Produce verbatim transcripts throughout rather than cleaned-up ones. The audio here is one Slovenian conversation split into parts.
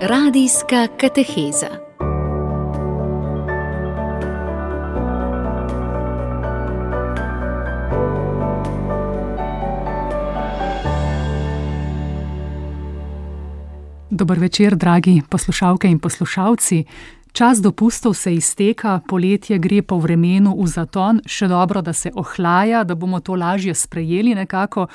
Radijska kateheza. Dober večer, dragi poslušalke in poslušalci. Čas dopustov se izteka, poletje gre po vremenu v zaton, še dobro, da se ohlaja, da bomo to lažje sprejeli nekako.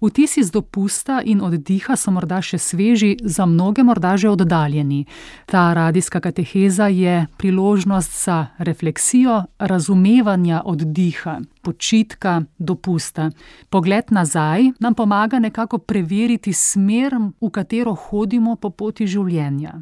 Vtisi z dopusta in oddiha so morda še sveži, za mnoge morda že oddaljeni. Ta radijska kateheza je priložnost za refleksijo, razumevanja oddiha, počitka, dopusta. Pogled nazaj nam pomaga nekako preveriti smer, v katero hodimo po poti življenja.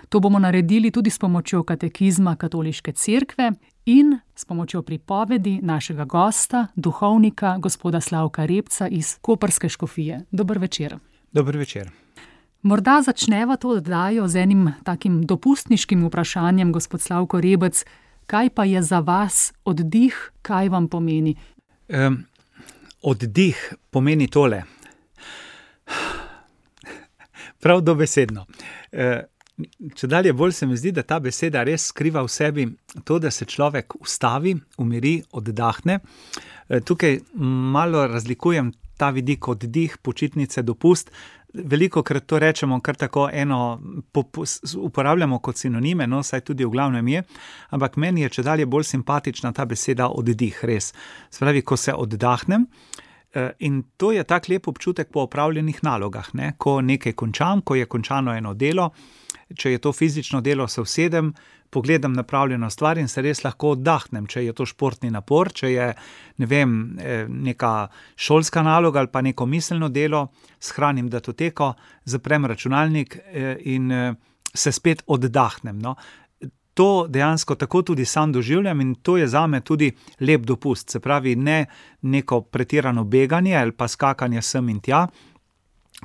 To bomo naredili tudi s pomočjo katekizma Katoliške cerkve in s pomočjo pripovedi našega gosta, duhovnika, gospoda Slavka Repca iz Koprske škofije. Dober večer. Dober večer. Morda začneva to oddajo z enim takim dopustniškim vprašanjem, gospod Slavko Rebec. Kaj pa je za vas oddih, kaj vam pomeni? Um, oddih pomeni tole. Prav dobesedno. Uh, Čedalje bolj se mi zdi, da ta beseda res skriva v sebi to, da se človek ustavi, umiri, oddahne. Tukaj malo razlikujem ta vidik oddih, počitnice, dopust. Velikokrat to rečemo kar tako eno, uporabljamo kot sinonime, no, saj tudi v glavnem je, ampak meni je čedalje bolj simpatična ta beseda oddih, res. Spravi, ko se oddahnem, in to je tak lep občutek po opravljenih nalogah, ne? Ko nekaj končam, ko je končano eno delo, če je to fizično delo, se usedem, pogledam napravljeno stvar in se res lahko oddahnem, če je to športni napor, če je, ne vem, neka šolska naloga ali pa neko miselno delo, shranim datoteko, zaprem računalnik in se spet oddahnem, no. To dejansko tako tudi sam doživljam in to je zame tudi lep dopust, se pravi ne neko pretirano beganje ali pa skakanje sem in tja.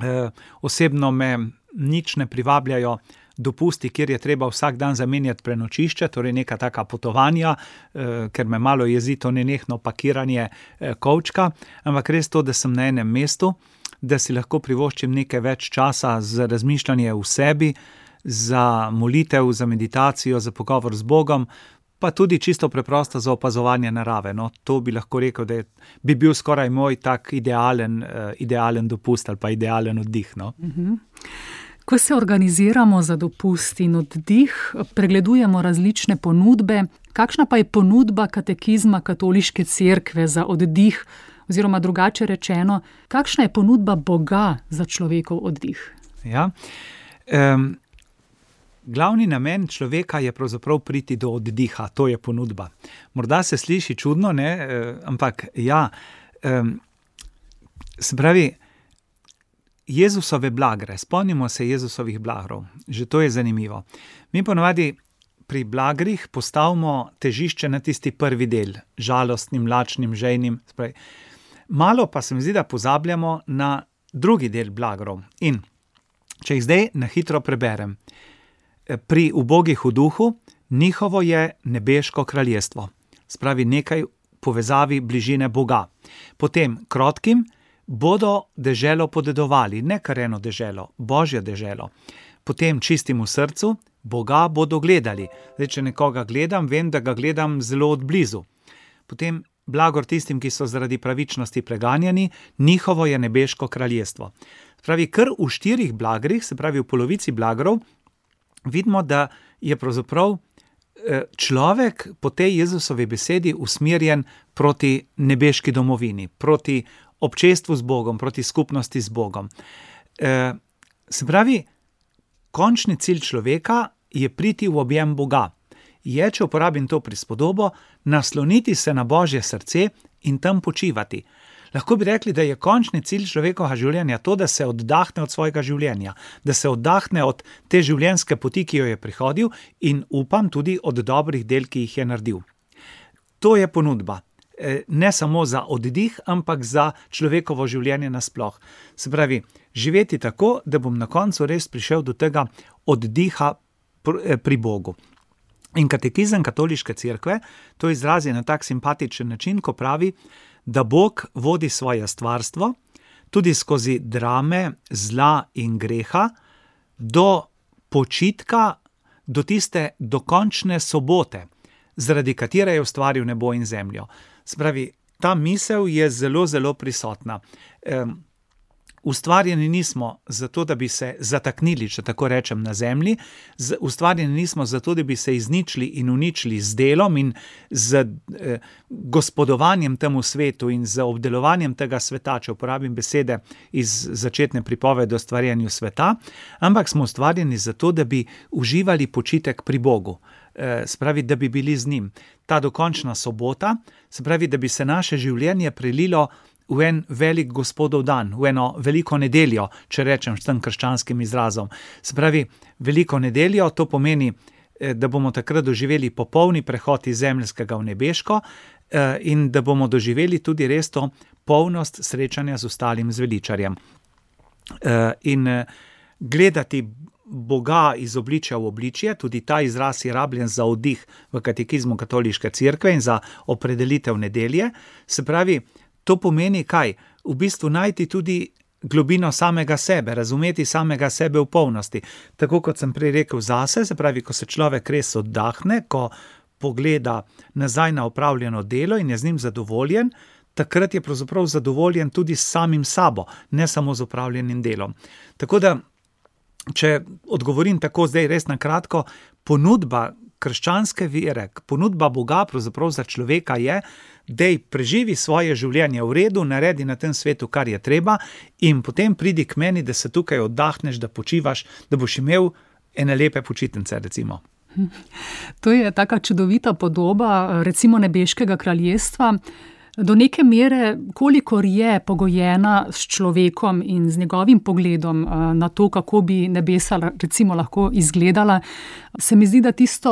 E, osebno me nič ne privabljajo dopusti, kjer je treba vsak dan zamenjati prenočišče, torej neka taka potovanja, eh, ker me malo jezi to nenehno pakiranje eh, kovčka, ampak res to, da sem na enem mestu, da si lahko privoščim nekaj več časa za razmišljanje v sebi, za molitev, za meditacijo, za pogovor z Bogom, pa tudi čisto preprosto za opazovanje narave. No, to bi lahko rekel, da je, bi bil skoraj moj tak idealen, eh, idealen dopust ali pa idealen oddih. No. Mhm. Ko se organiziramo za dopust in oddih, pregledujemo različne ponudbe. Kakšna pa je ponudba katekizma Katoliške cerkve za oddih, oziroma drugače rečeno, kakšna je ponudba Boga za človekov oddih? Ja, um, glavni namen človeka je pravzaprav priti do oddiha, to je ponudba. Morda se sliši čudno, ne, ampak ja, um, se pravi, Jezusove blagre, spomnimo se Jezusovih blagrov, že to je zanimivo. Mi ponovadi pri blagrih postavimo težišče na tisti prvi del, žalostnim, lačnim, žejnim. Spravi. Malo pa se mi zdi, da pozabljamo na drugi del blagrov. In če jih zdaj na hitro preberem, pri ubogih v duhu, njihovo je nebeško kraljestvo. Spravi nekaj povezavi bližine Boga. Potem krotkim, bodo deželo podedovali, ne kar eno deželo, Božje deželo. Potem čistim v srcu, Boga bodo gledali. Zdaj, če nekoga gledam, vem, da ga gledam zelo odblizu. Potem blagor tistim, ki so zaradi pravičnosti preganjani, njihovo je nebeško kraljestvo. Pravi, kar v štirih blagrih, se pravi v polovici blagrov, vidimo, da je pravzaprav človek po tej Jezusovi besedi usmerjen proti nebeški domovini, proti občestvu z Bogom, proti skupnosti z Bogom. E, se pravi, končni cilj človeka je priti v objem Boga. Je, če uporabim to prispodobo, nasloniti se na Božje srce in tam počivati. Lahko bi rekli, da je končni cilj človekovega življenja to, da se oddahne od svojega življenja, da se oddahne od te življenjske poti, ki jo je prihodil in upam tudi od dobrih del, ki jih je naredil. To je ponudba. Ne samo za oddih, ampak za človekovo življenje nasploh. Se pravi, živeti tako, da bom na koncu res prišel do tega oddiha pri Bogu. In katekizem Katoliške cerkve to izrazi na tak simpatičen način, ko pravi, da Bog vodi svoje stvarstvo tudi skozi drame zla in greha do počitka do tiste dokončne sobote, zaradi katere je ustvaril nebo in zemljo. Spravi, ta misel je zelo, zelo prisotna. Um, Ustvarjeni nismo zato, da bi se zataknili, če tako rečem, na zemlji, z, ustvarjeni nismo zato, da bi se izničili in uničili z delom in z eh, gospodovanjem temu svetu in z obdelovanjem tega sveta, če uporabim besede iz začetne pripovedi o stvarjenju sveta, ampak smo ustvarjeni zato, da bi uživali počitek pri Bogu. Eh, spravi, da bi bili z njim. Ta dokončna sobota, spravi, da bi se naše življenje prelilo v en velik Gospodov dan, v eno veliko nedeljo, če rečem s tem krščanskim izrazom. Se pravi, veliko nedeljo, to pomeni, da bomo takrat doživeli popolni prehod iz zemeljskega v nebeško in da bomo doživeli tudi res to polnost srečanja z ostalim zveličarjem. In gledati Boga iz obličja v obličje, tudi ta izraz je rabljen za oddih v katekizmu katoliške cerkve in za opredelitev nedelje. Se pravi, to pomeni kaj? V bistvu najti tudi globino samega sebe, razumeti samega sebe v polnosti. Tako kot sem prej rekel zase, se pravi, ko se človek res oddahne, ko pogleda nazaj na opravljeno delo in je z njim zadovoljen, takrat je pravzaprav zadovoljen tudi s samim sabo, ne samo z opravljenim delom. Tako da, če odgovorim tako zdaj res na kratko, ponudba krščanske vere, ponudba Boga pravzaprav za človeka je, dej preživi svoje življenje v redu, naredi na tem svetu, kar je treba in potem pridi k meni, da se tukaj oddahneš, da počivaš, da boš imel ene lepe počitnice, recimo. To je taka čudovita podoba, recimo nebeškega kraljestva. Do neke mere, kolikor je pogojena s človekom in z njegovim pogledom na to, kako bi nebesa recimo lahko izgledala, se mi zdi, da tisto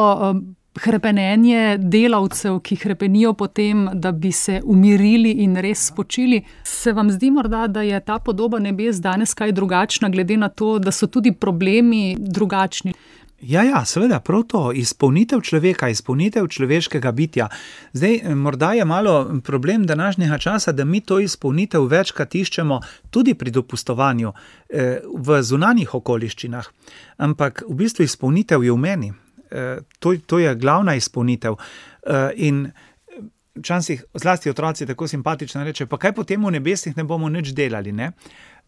hrepenenje delavcev, ki hrepenijo potem, da bi se umirili in res spočili, se vam zdi morda, da je ta podoba nebes danes kaj drugačna, glede na to, da so tudi problemi drugačni? Ja, ja, seveda, prav to, izpolnitev človeka, izpolnitev človeškega bitja. Zdaj, morda je malo problem današnjega časa, da mi to izpolnitev večkrat iščemo tudi pri dopustovanju eh, v zunanjih okoliščinah, ampak v bistvu izpolnitev je v meni. Eh, to, to je glavna izpolnitev. Eh, in včasih zlasti otroci tako simpatično reče, pa kaj potem v nebesih ne bomo nič delali, ne?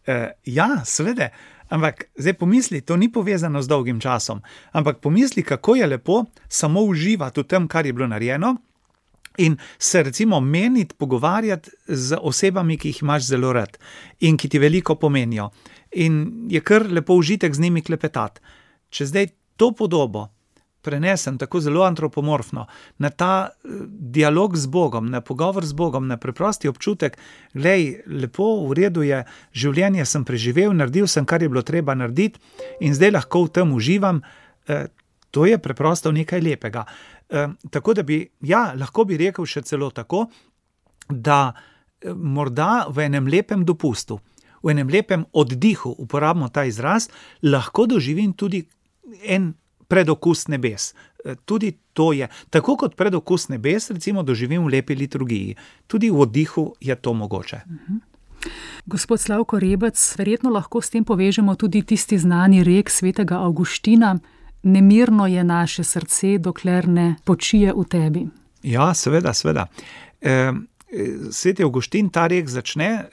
Eh, ja, seveda. Ampak zdaj pomisli, to ni povezano z dolgim časom, ampak pomisli, kako je lepo samo uživati v tem, kar je bilo narejeno in se recimo meniti, pogovarjati z osebami, ki jih imaš zelo rad in ki ti veliko pomenijo. In je kar lepo užitek z njimi klepetati. Če zdaj to podobo prenesem tako zelo antropomorfno na ta dialog z Bogom, na pogovor z Bogom, na preprosti občutek, glej, lepo, v redu je, življenje sem preživel, naredil sem, kar je bilo treba narediti in zdaj lahko v tem uživam, eh, to je preprosto nekaj lepega. Eh, tako da bi, ja, lahko bi rekel še celo tako, da eh, morda v enem lepem dopustu, v enem lepem oddihu, uporabimo ta izraz, lahko doživim tudi en predokus nebes. Tudi to je, tako kot predokus nebes, recimo doživim v lepi liturgiji. Tudi v oddihu je to mogoče. Mhm. Gospod Slavko Rebec, verjetno lahko s tem povežemo tudi tisti znani rek svetega Avguština, nemirno je naše srce, dokler ne počije v tebi. Ja, seveda, seveda. E, Sveti Avguštin ta rek začne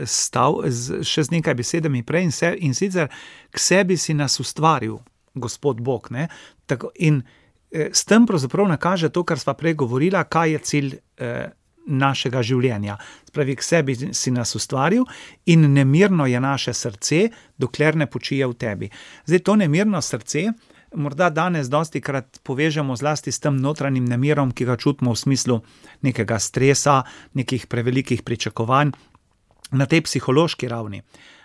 stav, še z nekaj besedami prej in, se, in sicer k sebi si nas ustvaril, Gospod Bog, ne? Tako, in eh, s tem pravzaprav nakaže to, kar sva prej govorila, kaj je cilj eh, našega življenja. Spravi, k sebi si nas ustvaril in nemirno je naše srce, dokler ne počije v tebi. Zdaj, to nemirno srce morda danes dostikrat povežemo zlasti s tem notranjim nemirom, ki ga čutimo v smislu nekega stresa, nekih prevelikih pričakovanj na tej psihološki ravni.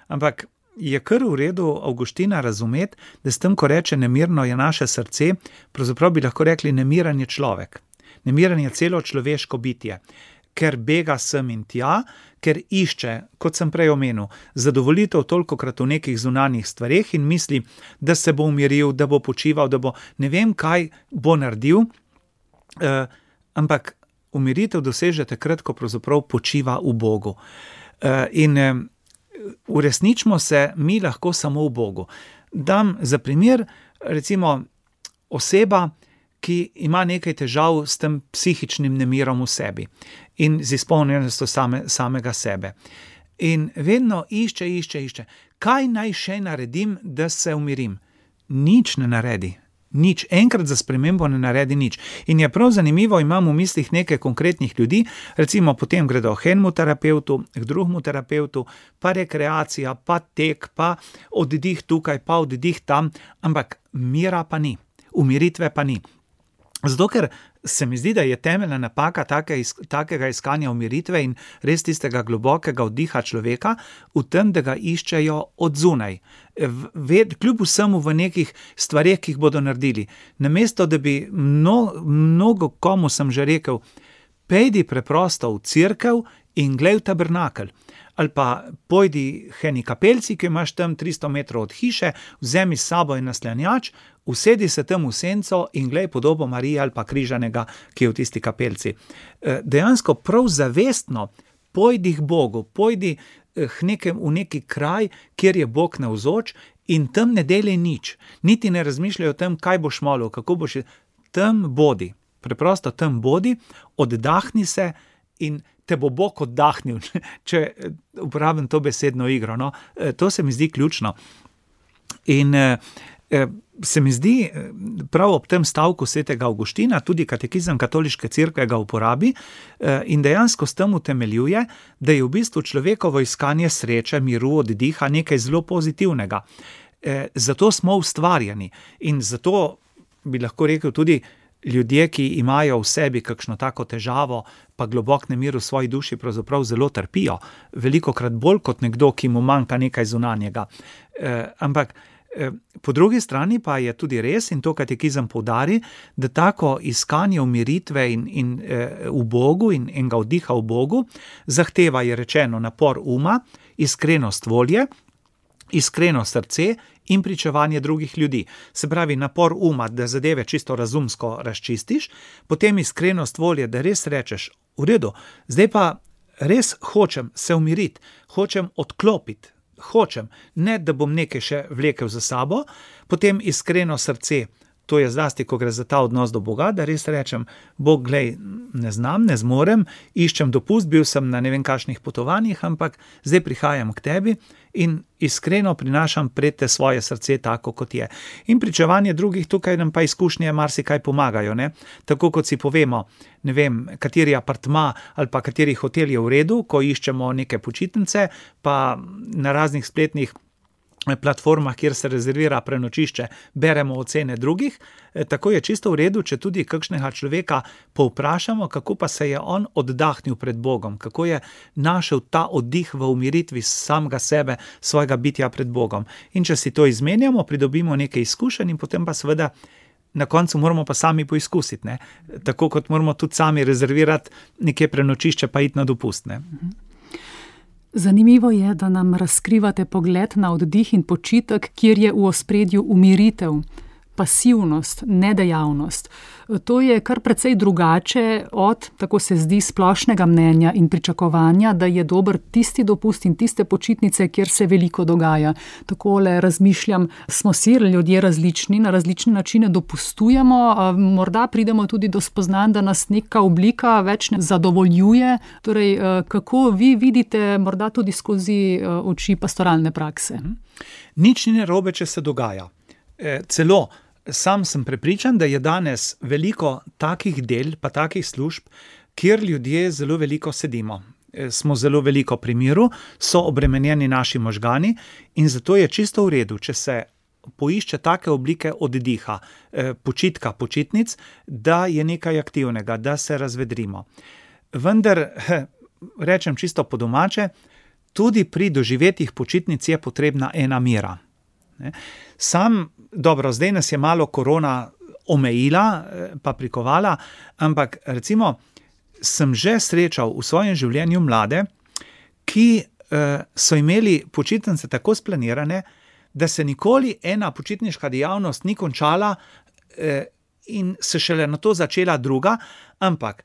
Ampak je kar v redu Avguština razumeti, da s tem, ko reče nemirno je naše srce, pravzaprav bi lahko rekli nemiren je človek. Nemiren je celo človeško bitje, ker bega sem in tja, ker išče, kot sem prej omenil, zadovoljitev tolikokrat v nekih zunanjih stvareh in misli, da se bo umiril, da bo počival, da bo ne vem kaj bo naredil, eh, ampak umiritev doseže takrat, ko pravzaprav počiva v Bogu. Eh, in eh, uresničimo se mi lahko samo v Bogu. Dam za primer, recimo oseba, ki ima nekaj težav s tem psihičnim nemirom v sebi in z izpolnjenostjo same, samega sebe. In vedno išče, išče, išče. Kaj naj še naredim, da se umirim? Nič ne naredi. Nič. Enkrat za spremembo ne naredi nič. In je prav zanimivo, imam v mislih nekaj konkretnih ljudi, recimo potem gredo k enemu terapevtu, k drugemu terapevtu, pa rekreacija, pa tek, pa oddih tukaj, pa oddih tam, ampak mira pa ni. Umiritve pa ni. Zato, ker se mi zdi, da je temeljna napaka take, takega iskanja umiritve in res tistega globokega oddiha človeka v tem, da ga iščejo od zunaj. Ved, kljub vsemu v nekih stvareh, ki jih bodo naredili. Namesto, da bi mno, mnogo komu sem že rekel, pejdi preprosto v cerkev in glej v tabernakelj. Ali pa pojdi k eni kapelci, ki imaš tam tristo metrov od hiše, vzemi s sabo in naslanjač, usedi se tam v senco in glej podobo Marije ali pa križanega, ki je v tisti kapelci. Dejansko prav zavestno pojdi k Bogu, pojdi k nekem, v neki kraj, kjer je Bog navzoč in tam ne delaj nič. Niti ne razmišljaj o tem, kaj boš molil, kako boš, tam bodi. Preprosto tam bodi, oddahni se in te bo Bog oddahnil, če uporabim to besedno igro. No? To se mi zdi ključno. In se mi zdi, prav ob tem stavku svetega Avguština, tudi katekizem katoliške cerkve ga uporabi in dejansko s tem utemeljuje, da je v bistvu človekovo iskanje sreče, miru, oddiha nekaj zelo pozitivnega. Zato smo ustvarjeni in zato bi lahko rekel tudi, ljudje, ki imajo v sebi kakšno tako težavo, pa globok nemir v svoji duši pravzaprav zelo trpijo. Velikokrat bolj kot nekdo, ki mu manjka nekaj zunanjega. E, ampak e, po drugi strani pa je tudi res, in to katekizem poudari, da tako iskanje umiritve in, in, e, v Bogu in enega oddiha v Bogu zahteva, je rečeno, napor uma, iskrenost volje, iskreno srce in pričevanje drugih ljudi. Se pravi, napor uma, da zadeve čisto razumsko razčistiš, potem iskrenost volje, da res rečeš, v redu, zdaj pa res hočem se umiriti, hočem odklopiti, hočem, ne da bom nekaj še vlekel za sabo, potem iskreno srce, to je zlasti, ko gre za ta odnos do Boga, da res rečem, Bog, glej, ne znam, ne zmorem, iščem dopust, bil sem na ne vem kakšnih potovanjih, ampak zdaj prihajam k tebi in iskreno prinašam pred te svoje srce tako, kot je. In pričevanje drugih, tukaj nam pa izkušnje marsikaj pomagajo, ne? Tako kot si povemo, ne vem, kateri apartma ali pa kateri hotel je v redu, ko iščemo neke počitnice, pa na raznih spletnih platformah, kjer se rezervira prenočišče, beremo ocene drugih, tako je čisto v redu, če tudi kakšnega človeka povprašamo, kako pa se je on oddahnil pred Bogom, kako je našel ta oddih v umiritvi samega sebe, svojega bitja pred Bogom. In če si to izmenjamo, pridobimo nekaj izkušenj in potem pa seveda na koncu moramo pa sami poizkusiti, ne? Tako kot moramo tudi sami rezervirati nekje prenočišče pa iti na dopust, ne? Zanimivo je, da nam razkrivate pogled na oddih in počitek, kjer je v ospredju umiritev, pasivnost, nedejavnost. To je kar precej drugače od, tako se zdi, splošnega mnenja in pričakovanja, da je dober tisti dopust in tiste počitnice, kjer se veliko dogaja. Takole razmišljam, smo si ljudje različni, na različne načine dopustujemo, morda pridemo tudi do spoznanj, da nas neka oblika več ne zadovoljuje. Torej, kako vi vidite, morda tudi skozi oči pastoralne prakse? Nič ni narobe, če se dogaja. E, celo sam sem prepričan, da je danes veliko takih del, pa takih služb, kjer ljudje zelo veliko sedimo. E, smo zelo veliko pri miru, so obremenjeni naši možgani in zato je čisto v redu, če se poišče take oblike oddiha, e, počitka, počitnic, da je nekaj aktivnega, da se razvedrimo. Vendar, he, rečem čisto po domače, tudi pri doživetih počitnic je potrebna ena mira. Ne? Sam, dobro, zdaj nas je malo korona omejila, pa prikovala, ampak recimo sem že srečal v svojem življenju mlade, ki eh, so imeli počitnice tako splanirane, da se nikoli ena počitniška dejavnost ni končala eh, in se šele na to začela druga, ampak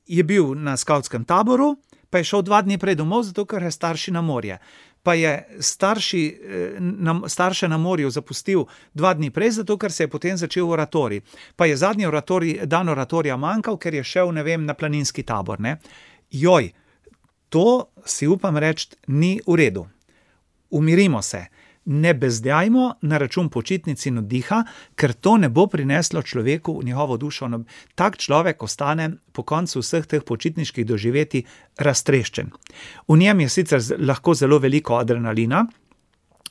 je bil na skavtskem taboru, pa je šel dva dni prej domov, zato ker je starši na morje. Pa je starši, na, starše na morju zapustil dva dni prej, zato ker se je potem začel oratorij. Pa je zadnji oratorij, dan oratorija manjkal, ker je šel, ne vem, na planinski tabor, ne. Joj, to si upam reči, ni v redu. Umirimo se. Ne bezdjajmo na račun počitnic in oddiha, ker to ne bo prineslo človeku v njegovo dušo. Tak človek ostane po koncu vseh teh počitniških doživetij raztreščen. V njem je sicer lahko zelo veliko adrenalina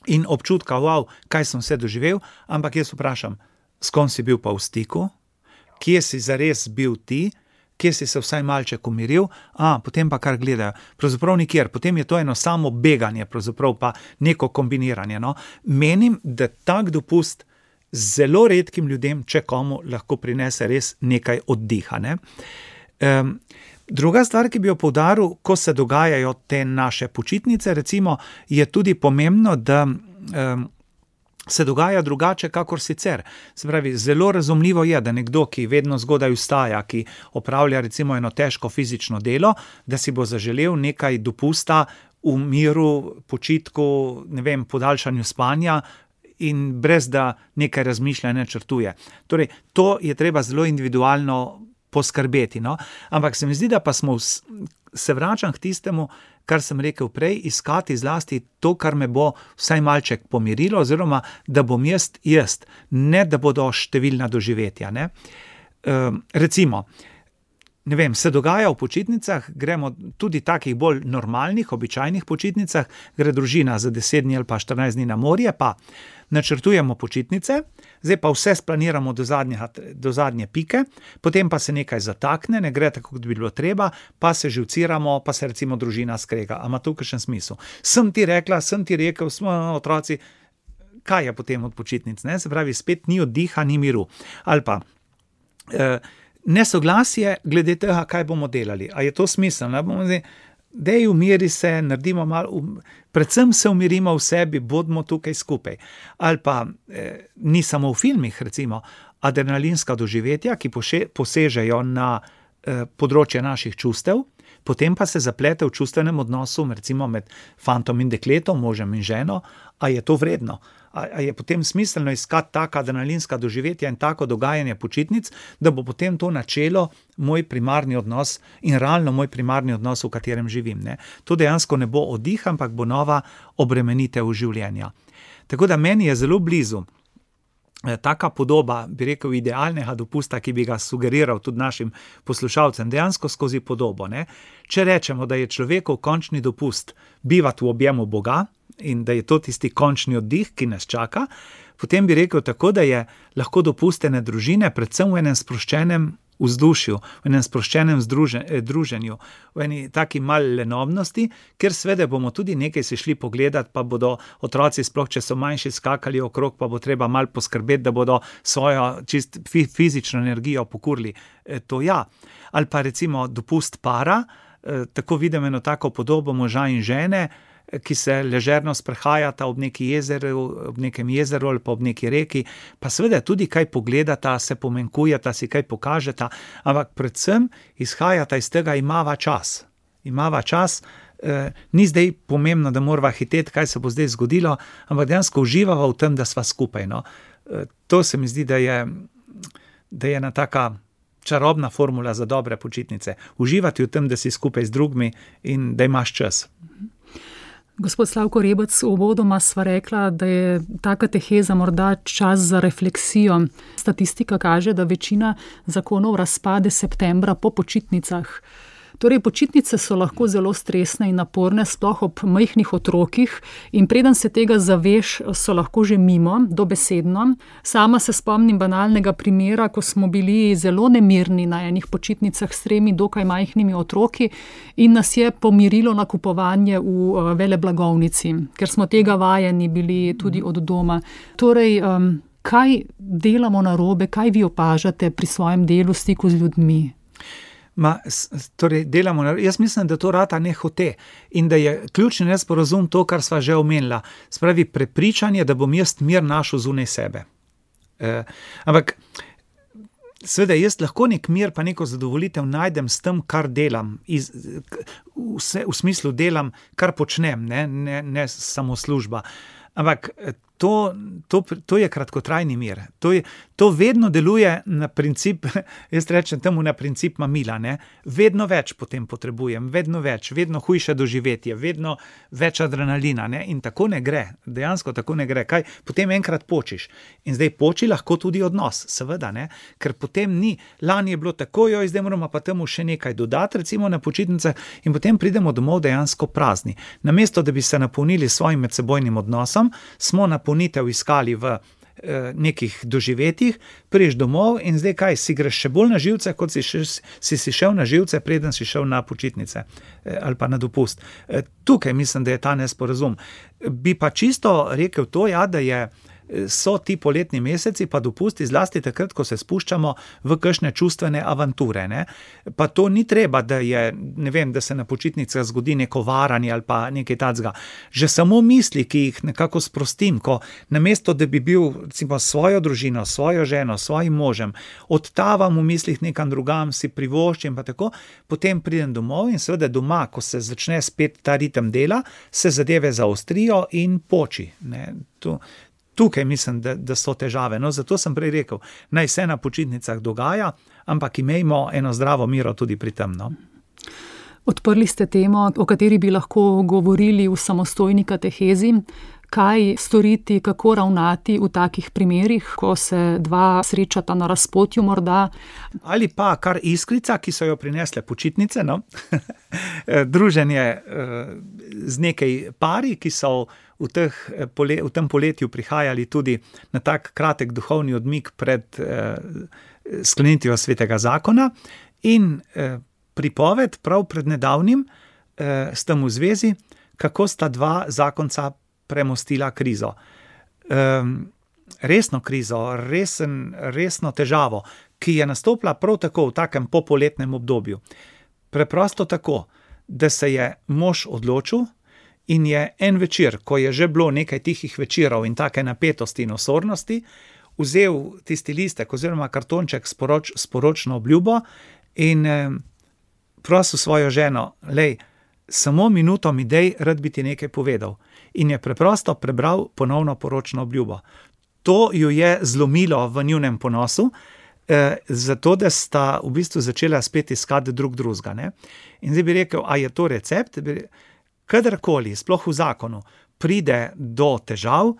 in občutka, wow, kaj sem vse doživel, ampak jaz vprašam, s kom si bil pa v stiku, kje si zares bil ti, kje si se vsaj malček umiril, a, potem pa kar gledajo. Pravzaprav nikjer, potem je to eno samo beganje, pravzaprav pa neko kombiniranje, no. Menim, da tak dopust zelo redkim ljudem, če komu, lahko prinese res nekaj oddiha, ne. Um, druga stvar, ki bi jo poudaril, ko se dogajajo te naše počitnice, recimo, je tudi pomembno, da um, se dogaja drugače, kakor sicer. Se pravi, zelo razumljivo je, da nekdo, ki vedno zgodaj vstaja, ki opravlja recimo eno težko fizično delo, da si bo zaželel nekaj dopusta v miru, počitku, ne vem, podaljšanju spanja in brez da nekaj razmišlja, načrtuje. Torej, to je treba zelo individualno poskrbeti, no. Ampak se mi zdi, da pa smo, v, se vračam k tistemu, kar sem rekel prej, iskati zlasti to, kar me bo vsaj malček pomirilo, oziroma da bom jaz jaz, ne da bodo številna doživetja, ne. E, recimo, ne vem, se dogaja v počitnicah, gremo tudi takih bolj normalnih, običajnih počitnicah, gre družina za deset dni ali pa štirinajst dni na morje, pa načrtujemo počitnice, zdaj pa vse splaniramo do zadnje, do zadnje pike, potem pa se nekaj zatakne, ne gre tako, kot bi bilo treba, pa se živciramo, pa se recimo družina skrega. A ima to kakšen smisel? Sem ti rekla, sem ti rekel, smo otroci, kaj je potem od počitnic, ne? Se pravi, spet ni oddiha, ni miru. Ali pa eh, nesoglasje glede tega, kaj bomo delali. A je to smiselno? Bomo zdaj, dej umiri se, naredimo malo, um, predvsem se umirimo v sebi, bodimo tukaj skupaj. Ali pa, eh, ni samo v filmih, recimo, adrenalinska doživetja, ki poše, posežejo na eh, področje naših čustev, potem pa se zaplete v čustvenem odnosu, recimo med fantom in dekletom, možem in ženo, a je to vredno? A, a je potem smiselno iskati taka adrenalinska doživetja in tako dogajanje počitnic, da bo potem to načelo moj primarni odnos in realno moj primarni odnos, v katerem živim, ne. To dejansko ne bo oddih, ampak bo nova obremenitev življenja. Tako da meni je zelo blizu taka podoba, bi rekel, idealnega dopusta, ki bi ga sugeriral tudi našim poslušalcem, dejansko skozi podobo, ne. Če rečemo, da je človekov končni dopust bivati v objemu Boga in da je to tisti končni oddih, ki nas čaka, potem bi rekel tako, da je lahko dopust ene družine predvsem v enem sproščenem vzdušju, v enem sproščenem združen, druženju, v eni taki mali lenobnosti, ker seveda bomo tudi nekaj se šli pogledati, pa bodo otroci, sploh če so manjši, skakali okrog, pa bo treba malo poskrbeti, da bodo svojo čist fizično energijo pokurili. E, to ja. Ali pa recimo dopust para, e, tako vidim eno tako podobo moža in žene, ki se ležerno sprehajata ob neki jezeru, ob nekem jezeru ali pa ob neki reki, pa seveda tudi kaj pogledata, se pomenkujeta, si kaj pokažeta, ampak predvsem izhajata iz tega, imava čas. Imava čas, eh, ni zdaj pomembno, da morava hiteti, kaj se bo zdaj zgodilo, ampak dejansko uživava v tem, da sva skupaj, no. Eh, to se mi zdi, da je, da je ena taka čarobna formula za dobre počitnice. Uživati v tem, da si skupaj z drugimi in da imaš čas. Gospod Slavko Rebec, uvodoma sva rekla, da je ta kateheza morda čas za refleksijo. Statistika kaže, da večina zakonov razpade septembra po počitnicah. Torej, počitnice so lahko zelo stresne in naporne, sploh ob majhnih otrokih, in preden se tega zaveš, so lahko že mimo, dobesedno. Sama se spomnim banalnega primera, ko smo bili zelo nemirni na enih počitnicah s tremi dokaj majhnimi otroki in nas je pomirilo nakupovanje v veleblagovnici, ker smo tega vajeni bili tudi od doma. Torej, um, kaj delamo narobe, kaj vi opažate pri svojem delu, stiku z ljudmi? Ma, torej, delamo, jaz mislim, da to rata nehote in da je ključni nesporazum to, kar sva že omenila. Spravi prepričanje, da bom jaz mir našel zunaj sebe. E, ampak seveda jaz lahko nek mir pa neko zadovolitev najdem s tem, kar delam, iz, vse, v smislu delam, kar počnem, ne, ne, ne samo služba. Ampak to, to, to je kratkotrajni mir. To, je, to vedno deluje na princip, jaz rečem temu na princip mamila, ne. Vedno več potem potrebujem, vedno več, vedno hujše doživetje, vedno več adrenalina, ne. In tako ne gre, dejansko tako ne gre. Kaj? Potem enkrat počiš. In zdaj poči lahko tudi odnos, seveda, ne. Ker potem ni, lani je bilo tako, joj, zdaj moramo pa temu še nekaj dodati, recimo na počitnicah, in potem pridemo domov dejansko prazni. Namesto, da bi se napolnili svojim medsebojnim odnosom, smo napolnitev iskali v eh, nekih doživetjih, priješ domov in zdaj kaj, si greš še bolj na živce, kot si, še, si si šel na živce, preden si šel na počitnice eh, ali pa na dopust. Eh, tukaj mislim, da je ta nesporazum. Bi pa čisto rekel to, ja, da je so ti poletni meseci pa dopusti, zlasti takrat, ko se spuščamo v kakšne čustvene avanture, ne. Pa to ni treba, da je, ne vem, da se na počitnicah zgodi neko varanje ali pa nekaj takega. Že samo misli, ki jih nekako sprostim, ko namesto, da bi bil recimo svojo družino, svojo ženo, svojim možem, odtavam v mislih nekam drugam, si privoščim pa tako, potem pridem domov in seveda doma, ko se začne spet ta ritem dela, se zadeve zaostrijo in poči, ne. To Tukaj mislim, da, da so težave. No, zato sem prej rekel, naj se na počitnicah dogaja, ampak imejmo eno zdravo miro tudi pri tem. No. Odprli ste temo, o kateri bi lahko govorili v samostojni katehezi. Kaj storiti, kako ravnati v takih primerih, ko se dva srečata na razpotju morda? Ali pa kar iskrica, ki so jo prinesle počitnice, no? Druženje z nekaj pari, ki so v, teh, v tem poletju prihajali tudi na tak kratek duhovni odmik pred sklenitvijo svetega zakona in pripoved prav pred nedavnim s tem v zvezi, kako sta dva zakonca premostila krizo. Um, resno krizo, resen, resno težavo, ki je nastopila prav tako v takem popoletnem obdobju. Preprosto tako, da se je mož odločil in je en večer, ko je že bilo nekaj tihih večerov in take napetosti in osornosti, vzel tisti listek oziroma kartonček s poroč, poročno obljubo in eh, prosil svojo ženo, lej, samo minuto mi dej, rad bi ti nekaj povedal. In je preprosto prebral ponovno poročno obljubo. To ju je zlomilo v njunem ponosu, eh, zato da sta v bistvu začela spet iskati drug drugega, ne. In zdaj bi rekel, a je to recept? Kadarkoli, sploh v zakonu, pride do težav,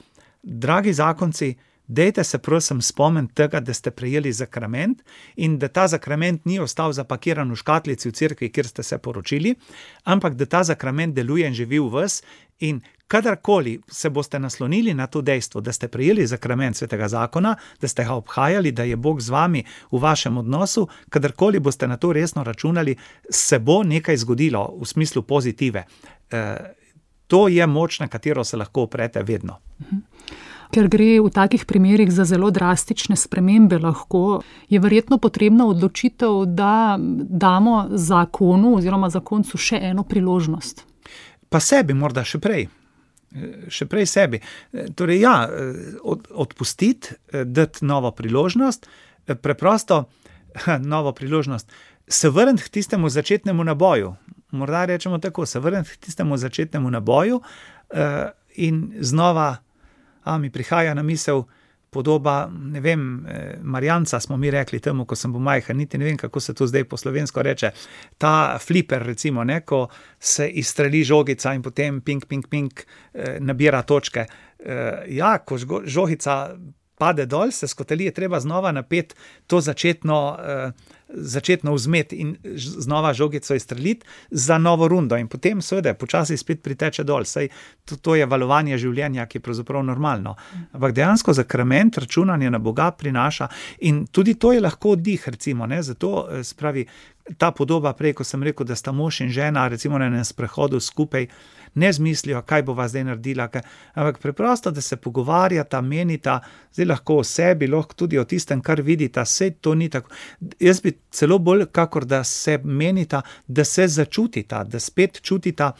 dragi zakonci, dejte se prosim spomniti tega, da ste prejeli zakrament in da ta zakrament ni ostal zapakiran v škatlici v cerkvi, kjer ste se poročili, ampak da ta zakrament deluje in živi v vas in kadarkoli se boste naslonili na to dejstvo, da ste prejeli zakrament svetega zakona, da ste ga obhajali, da je Bog z vami v vašem odnosu, kadarkoli boste na to resno računali, se bo nekaj zgodilo v smislu pozitive. E, to je moč, na katero se lahko oprete vedno. Ker gre v takih primerih za zelo drastične spremembe lahko, je verjetno potrebna odločitev, da damo zakonu oziroma zakoncu še eno priložnost. Pa sebi morda še prej. Še prej sebi. Torej ja, od, odpustiti, dati novo priložnost, preprosto novo priložnost, se vrniti k tistemu začetnemu naboju. Morda rečemo tako, se vrniti k tistemu začetnemu naboju in znova A, mi prihaja na misel podoba, ne vem, Marjanca smo mi rekli temu, ko sem bil majhen, niti ne vem, kako se to zdaj po slovensko reče, ta fliper recimo, ne, ko se izstreli žogica in potem ping, ping, ping, nabira točke. Ja, ko žogica pade dol, se skoteli, je treba znova napeti to začetno, začetno vzmet in znova žogico izstreliti za novo rundo in potem seveda počasi spet priteče dol, saj to, to je valovanje življenja, ki je pravzaprav normalno. Ampak dejansko zakrament računanje na Boga prinaša in tudi to je lahko oddih, recimo, ne, zato spravi ta podoba prej, ko sem rekel, da sta mož in žena recimo na enem sprehodu skupaj, ne zmislijo, kaj bova zdaj naredila, kaj, ampak preprosto, da se pogovarjata, menita, zdaj lahko o sebi, lahko tudi o tistem, kar vidita, sej to ni tako. Jaz bi celo bolj, kakor da se menita, da se začutita, da spet čutita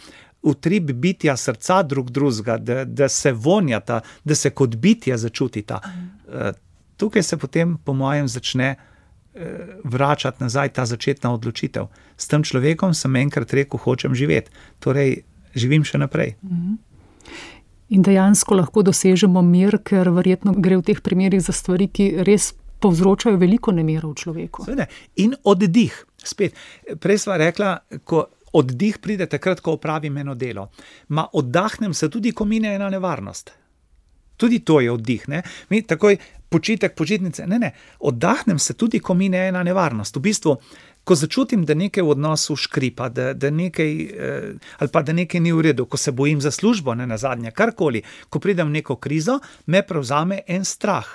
utrip bitja srca drug drugega, da, da se vonjata, da se kot bitja začutita. Mm. Tukaj se potem, po mojem, začne vračati nazaj ta začetna odločitev. S tem človekom sem enkrat rekel, hočem živeti. Torej, živim še naprej. In dejansko lahko dosežemo mir, ker verjetno gre v teh primerih za stvari, ki res povzročajo veliko nemira v človeku. Seveda. In oddih. Spet, prej sva rekla, ko oddih pride takrat, ko opravim eno delo. Ma oddahnem se tudi, ko mine ena nevarnost. Tudi to je oddih, ne? Mi takoj počitek, počitnice, ne, ne, oddahnem se tudi, ko mine ena nevarnost. V bistvu, ko začutim, da nekaj v odnosu škripa, da, da nekaj, eh, ali pa da nekaj ni v redu, ko se bojim za službo, ne nazadnje, karkoli, ko pridem v neko krizo, me prevzame en strah.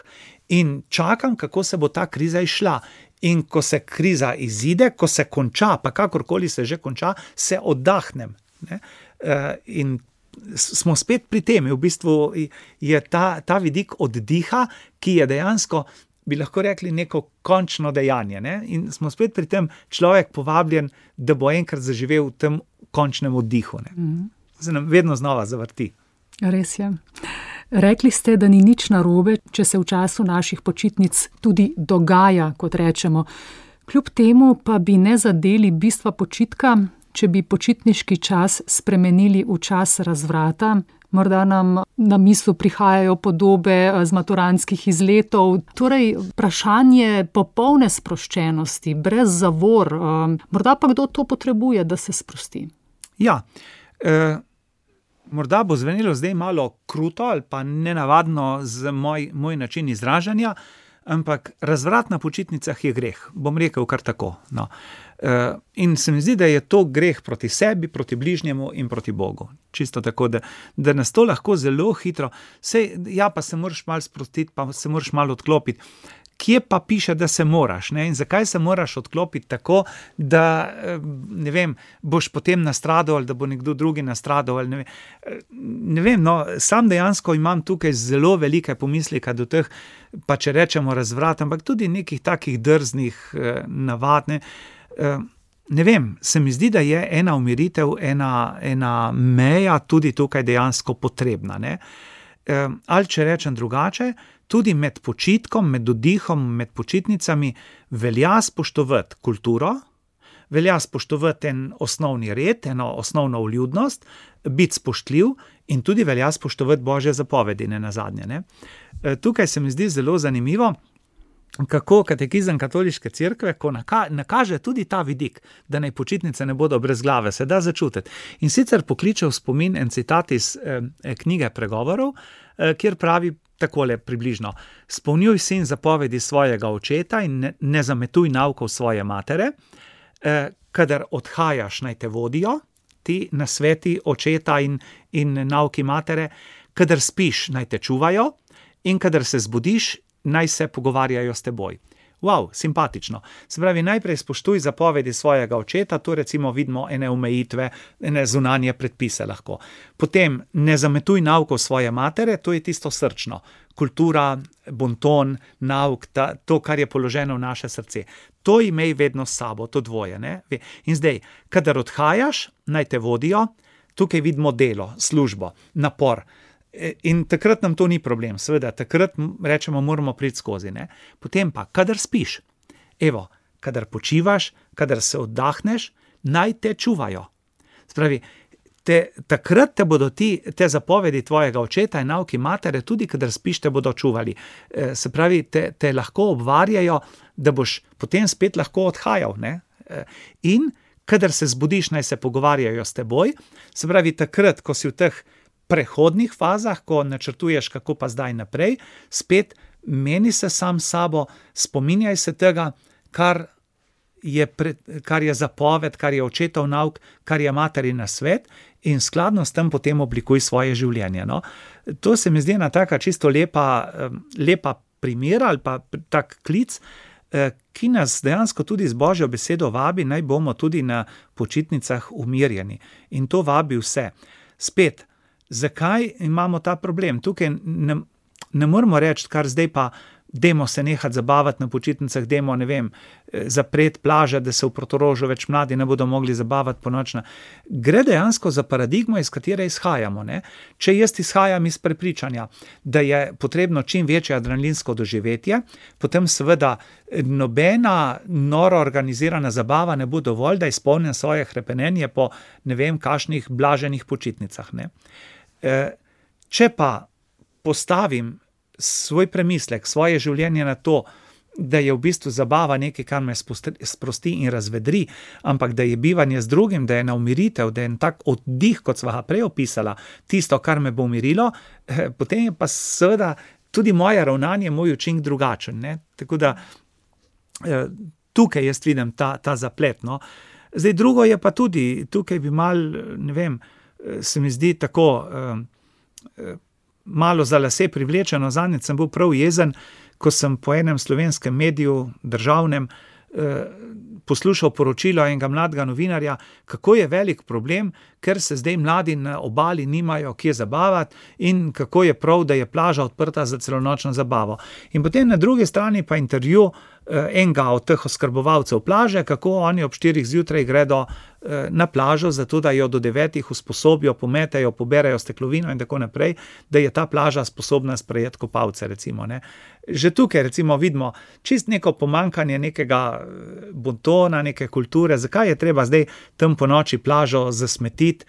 In čakam, kako se bo ta kriza izšla. In ko se kriza izide, ko se konča, pa kakorkoli se že konča, se oddahnem. Ne? Eh, in smo spet pri tem, v bistvu je ta, ta vidik oddiha, ki je dejansko, bi lahko rekli, neko končno dejanje. Ne? In smo spet pri tem človek povabljen, da bo enkrat zaživel v tem končnem oddihu. Ne? Mm. Se nam vedno znova zavrti. Res je. Rekli ste, da ni nič narobe, če se v času naših počitnic tudi dogaja, kot rečemo. Kljub temu pa bi ne zadeli bistva počitka, če bi počitniški čas spremenili v čas razvrata. Morda nam na misel prihajajo podobe z maturantskih izletov. Torej, vprašanje popolne sproščenosti, brez zavor. Morda pa kdo to potrebuje, da se sprosti? Ja, eh, morda bo zvenelo zdaj malo kruto ali pa nenavadno z moj, moj način izražanja, ampak razvrat na počitnicah je greh. Bom rekel kar tako. No. Uh, in se mi zdi, da je to greh proti sebi, proti bližnjemu in proti Bogu. Čisto tako, da, da nas to lahko zelo hitro, sej, ja, pa se moraš malo sprostiti, pa se moraš malo odklopiti. Kje pa piše, da se moraš? Ne? In zakaj se moraš odklopiti tako, da ne vem, boš potem nastradal ali da bo nekdo drugi nastradal? Ali ne vem, ne vem no, sam dejansko imam tukaj zelo velike pomisleke do teh, pa če rečemo razvrat, ampak tudi nekih takih drznih navad. Ne? Ne vem, se mi zdi, da je ena umiritev, ena, ena meja tudi tukaj dejansko potrebna. Ne? Ali če rečem drugače, tudi med počitkom, med oddihom, med počitnicami velja spoštovati kulturo, velja spoštovati en osnovni red, eno osnovno vljudnost, biti spoštljiv in tudi velja spoštovati Božje zapovedi, ne nazadnje. Ne? Tukaj se mi zdi zelo zanimivo, kako katekizem katoliške cerkve, ko naka, nakaže tudi ta vidik, da naj počitnice ne bodo brez glave, se da začutiti. In sicer pokliče v spomin en citat iz eh, knjige Pregovorov, eh, kjer pravi takole približno: spolnjuj sin zapovedi svojega očeta in ne, ne zametuj naukov svoje matere, eh, kadar odhajaš, naj te vodijo, ti nasveti očeta in, in nauki matere, kadar spiš, naj te čuvajo in kadar se zbudiš, naj se pogovarjajo s teboj. Wow, simpatično. Se pravi, najprej spoštuj zapovedi svojega očeta, tu recimo vidimo ene omejitve, ene zunanje predpise lahko. Potem ne zametuj naukov svoje matere, to je tisto srčno. Kultura, bonton, nauk, ta, to, kar je položeno v naše srce. To imej vedno s sabo, to dvoje. Ne? In zdaj, kadar odhajaš, naj te vodijo, tukaj vidimo delo, službo, napor. In takrat nam to ni problem, seveda, takrat rečemo, moramo priti skozi. Ne? Potem pa, kadar spiš, evo, kadar počivaš, kadar se oddahneš, naj te čuvajo. Spravi, te, takrat te bodo ti, te zapovedi tvojega očeta in nauki matere, tudi kadar spiš, te bodo čuvali. E, se pravi, te, te lahko obvarjajo, da boš potem spet lahko odhajal. Ne? E, in kadar se zbudiš, naj se pogovarjajo s teboj, se pravi, takrat, ko si v teh prehodnih fazah, ko načrtuješ, kako pa zdaj naprej, spet meni se sam sabo, spominjaj se tega, kar je, pre, kar je zapoved, kar je očetov nauk, kar je materina svet in skladno s tem potem oblikuj svoje življenje. No? To se mi zdi ena taka čisto lepa, lepa primera ali pa tak klic, ki nas dejansko tudi z Božjo besedo vabi, naj bomo tudi na počitnicah umirjeni. In to vabi vse. Spet, zakaj imamo ta problem? Tukaj ne, ne moramo reči, kar zdaj pa dajmo se nehati zabavati na počitnicah, dajmo, ne vem, zapreti plaže, da se v Portorožu več mladi ne bodo mogli zabavati ponočna. Gre dejansko za paradigmo, iz katere izhajamo, ne. Če jaz izhajam iz prepričanja, da je potrebno čim večje adrenalinsko doživetje, potem seveda nobena noro organizirana zabava ne bo dovolj, da izpolnim svoje hrepenenje po ne vem kakšnih blaženih počitnicah, ne. Če pa postavim svoj premislek, svoje življenje na to, da je v bistvu zabava nekaj, kar me sprosti in razvedri, ampak da je bivanje z drugim, da je na umiritev, da je en tak oddih, kot sva ga prej opisala, tisto, kar me bo umirilo, potem je pa seveda tudi moje ravnanje, moj učinek drugačen, ne. Tako da tukaj jaz vidim ta, ta zaplet, no. Zdaj drugo je pa tudi, tukaj bi malo, ne vem, se mi zdi tako malo za lase privlečeno, zadnjič sem bil prav jezen, ko sem po enem slovenskem mediju, državnem, poslušal poročilo enega mladega novinarja, kako je velik problem, ker se zdaj mladi na obali nimajo kje zabavati in kako je prav, da je plaža odprta za celonočno zabavo. In potem na drugi strani pa intervju enega od teh oskrbovalcev plaže, kako oni ob štirih zjutraj gredo na plažo, zato da jo do devetih usposobijo, pometejo, poberejo steklovino in tako naprej, da je ta plaža sposobna sprejeti kopalce, recimo, ne. Že tukaj recimo vidimo čist neko pomanjkanje nekega bontona, neke kulture, zakaj je treba zdaj tam po noči plažo zasmetiti.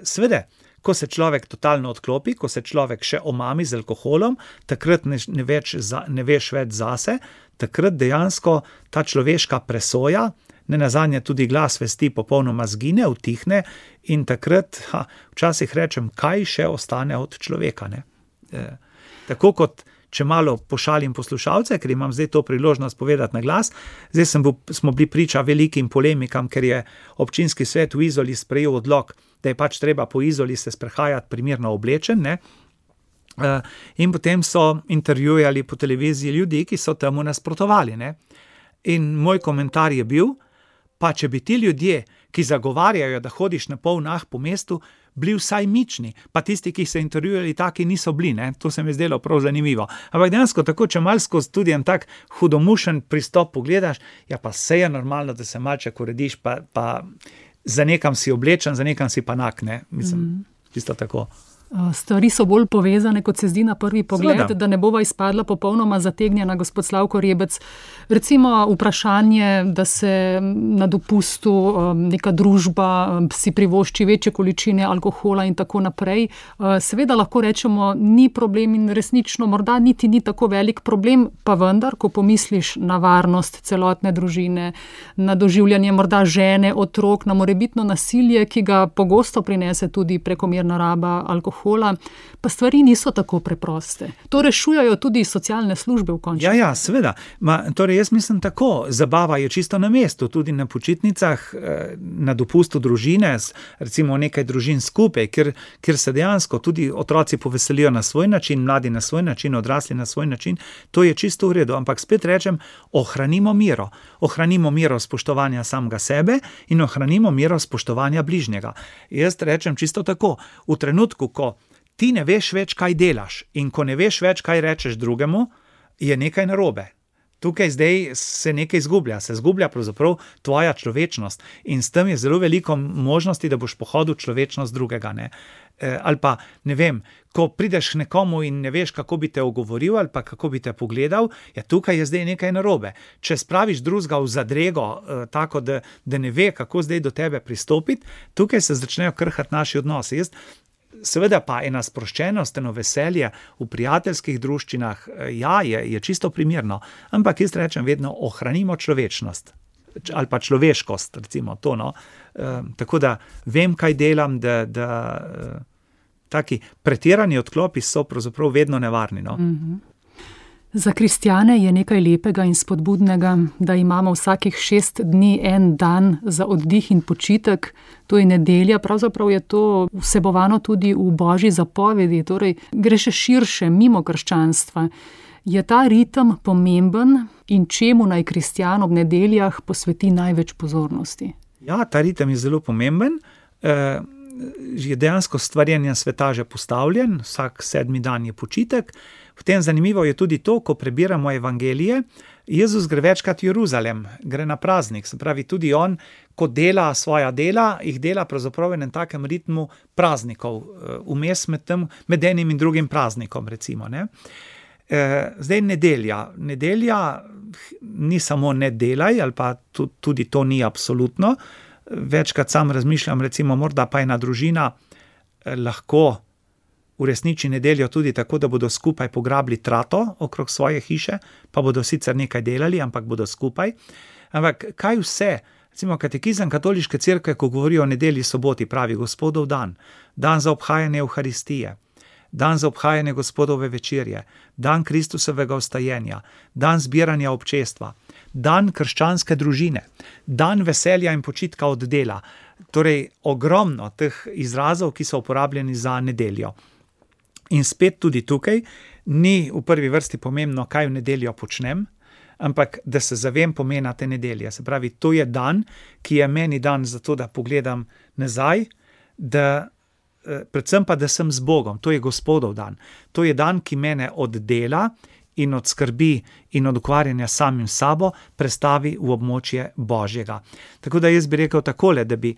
Seveda, ko se človek totalno odklopi, ko se človek še omami z alkoholom, takrat ne, ne, več za, ne veš več zase, takrat dejansko ta človeška presoja, nenazadnje tudi glas vesti popolnoma zgine, utihne in takrat, ha, včasih rečem, kaj še ostane od človeka, ne. E, tako kot če malo pošalim poslušalce, ker imam zdaj to priložnost povedati na glas, zdaj sem bil, smo bili priča velikim polemikam, ker je občinski svet v Izoli sprejel odlok, da je pač treba po Izoli se sprehajati primerno oblečen, ne. In potem so intervjujali po televiziji ljudi, ki so temu nasprotovali, ne. In moj komentar je bil, pa če bi ti ljudje, ki zagovarjajo, da hodiš na pol nah po mestu, bili vsaj mični, pa tisti, ki so intervjujali, taki niso bili, ne, to se mi je zdelo prav zanimivo. Ampak dejansko tako, če malo skozi tudi en tak hudomušen pristop pogledaš, ja pa se je normalno, da se malček urediš, pa, pa za nekam si oblečen, za nekam si pa nak, ne, mislim, mm. čisto tako. Stvari so bolj povezane, kot se zdi na prvi pogled, Sveda. Da ne bova izpadla popolnoma zategnjena, gospod Slavko Rebec. Recimo vprašanje, da se na dopustu neka družba si privošči večje količine alkohola in tako naprej. Seveda lahko rečemo, ni problem in resnično morda niti ni tako velik problem, pa vendar, ko pomisliš na varnost celotne družine, na doživljanje morda žene, otrok, na morebitno nasilje, ki ga pogosto prinese tudi prekomerna raba alkohola, pa stvari niso tako preproste. To rešujejo tudi socialne službe v končni. Ja, ja, seveda. Ma, torej jaz mislim tako, zabava je čisto na mestu, tudi na počitnicah, na dopustu družine, recimo nekaj družin skupaj, kjer, kjer se dejansko tudi otroci poveselijo na svoj način, mladi na svoj način, odrasli na svoj način, to je čisto v redu, ampak spet rečem, ohranimo miro. Ohranimo miro spoštovanja samega sebe in ohranimo miro spoštovanja bližnjega. Jaz rečem čisto tako, v trenutku, ko ti ne veš več, kaj delaš in ko ne veš več, kaj rečeš drugemu, je nekaj narobe. Tukaj zdaj se nekaj izgublja, se izgublja pravzaprav tvoja človečnost in s tem je zelo veliko možnosti, da boš pohodil človečnost drugega, ne. E, ali pa, ne vem, ko prideš k nekomu in ne veš, kako bi te ogovoril ali pa kako bi te pogledal, ja, tukaj je zdaj nekaj narobe. Če spraviš drugega v zadrego, e, tako da, da ne ve, kako zdaj do tebe pristopiti, tukaj se začnejo krhati naši odnosi. Jaz Seveda pa ena sproščenost, eno veselje v prijateljskih druščinah, ja, je, je čisto primerno, ampak jaz rečem vedno, ohranimo človečnost ali pa človeškost, recimo to, no. E, tako da vem, kaj delam, da, da e, taki pretirani odklopi so pravzaprav vedno nevarni, no. Mm-hmm. Za kristjane je nekaj lepega in spodbudnega, da imamo vsakih šest dni en dan za oddih in počitek, to je nedelja, pravzaprav je to vsebovano tudi v Božji zapovedi, torej gre še širše, mimo krščanstva. Je ta ritem pomemben in čemu naj kristjan ob nedeljah posveti največ pozornosti? Ja, ta ritem je zelo pomemben. E, je dejansko stvarjenja sveta že postavljen, vsak sedmi dan je počitek. Potem zanimivo je tudi to, ko prebiramo evangelije, Jezus gre večkrat v Jeruzalem, gre na praznik, se pravi tudi on, ko dela svoja dela, jih dela pravzaprav v enem takem ritmu praznikov, vmes med tem, med enim in drugim praznikom, recimo, ne. Zdaj nedelja, nedelja ni samo ne delaj, ali pa tudi to ni absolutno, večkrat sam razmišljam, recimo morda pa ena družina lahko uresniči nedeljo tudi tako, da bodo skupaj pograbili trato okrog svoje hiše, pa bodo sicer nekaj delali, ampak bodo skupaj. Ampak kaj vse, recimo katekizem katoliške cerkve, ko govori o nedelji, soboti, pravi Gospodov dan, dan za obhajanje Evharistije, dan za obhajanje Gospodove večerje, dan Kristusovega vstajenja, dan zbiranja občestva, dan krščanske družine, dan veselja in počitka od dela. Torej, ogromno teh izrazov, ki so uporabljeni za nedeljo. In spet tudi tukaj ni v prvi vrsti pomembno, kaj v nedeljo počnem, ampak da se zavem pomena te nedelje. Se pravi, to je dan, ki je meni dan zato, da pogledam nazaj, da, predvsem pa, da sem z Bogom. To je Gospodov dan. To je dan, ki mene od dela in od skrbi in od ukvarjanja samim sabo prestavi v območje Božjega. Tako da jaz bi rekel takole, da bi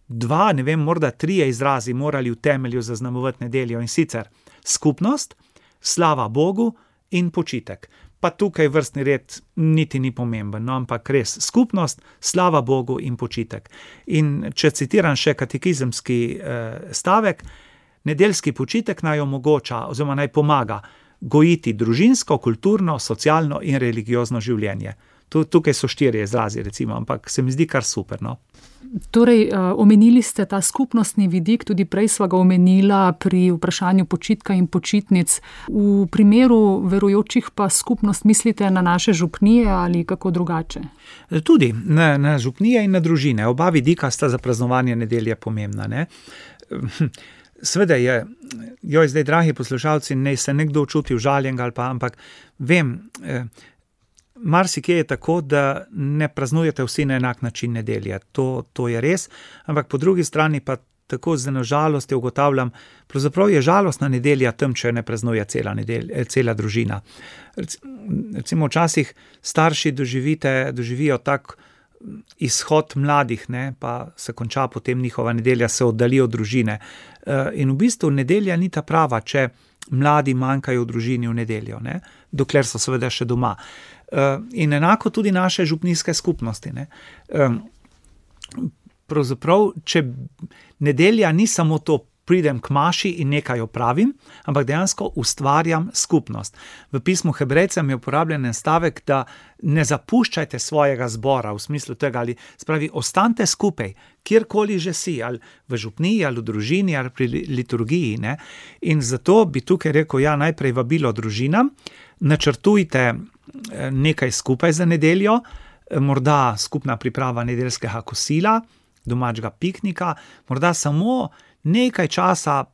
dva, ne vem, morda trije izrazi morali v temelju zaznamovati nedeljo, in sicer skupnost, slava Bogu in počitek. Pa tukaj vrstni red niti ni pomemben, no, ampak res skupnost, slava Bogu in počitek. In če citiram še katekizemski eh, stavek, nedeljski počitek naj omogoča oziroma naj pomaga gojiti družinsko, kulturno, socialno in religiozno življenje. Tukaj so štirje izrazi, recimo, ampak se mi zdi kar super, no. Torej, omenili ste ta skupnostni vidik, tudi prej sva ga omenila pri vprašanju počitka in počitnic. V primeru verujočih pa skupnost mislite na naše župnije ali kako drugače? Tudi na, na župnije in na družine. Oba vidika sta za praznovanje nedelje pomembna, ne. Sveda je, joj, zdaj, dragi poslušalci, ne se nekdo čuti užaljenega ali pa, ampak vem, eh, marsikje je tako, da ne praznujete vsi na enak način nedelje. To, to je res, ampak po drugi strani pa tako z eno žalostjo ugotavljam, pravzaprav je žalostna nedelja tam, če ne praznuje cela, nedelja, cela družina. Recimo včasih starši doživite, doživijo tak izhod mladih, ne, pa se konča potem njihova nedelja, se oddali od družine. In v bistvu nedelja ni ta prava, če mladi manjkajo v družini v nedeljo, ne, dokler so seveda še doma. In enako tudi naše župnijske skupnosti, ne. Pravzaprav, če nedelja ni samo to, pridem k maši in nekaj opravim, ampak dejansko ustvarjam skupnost. V pismu Hebrejcem je uporabljen en stavek, da ne zapuščajte svojega zbora, v smislu tega, ali spravi, ostanite skupaj, kjerkoli že si, ali v župniji, ali v družini, ali pri liturgiji, ne. In zato bi tukaj rekel, ja, najprej vabilo družinam, načrtujte nekaj skupaj za nedeljo, morda skupna priprava nedeljskega kosila, domačega piknika, morda samo nekaj časa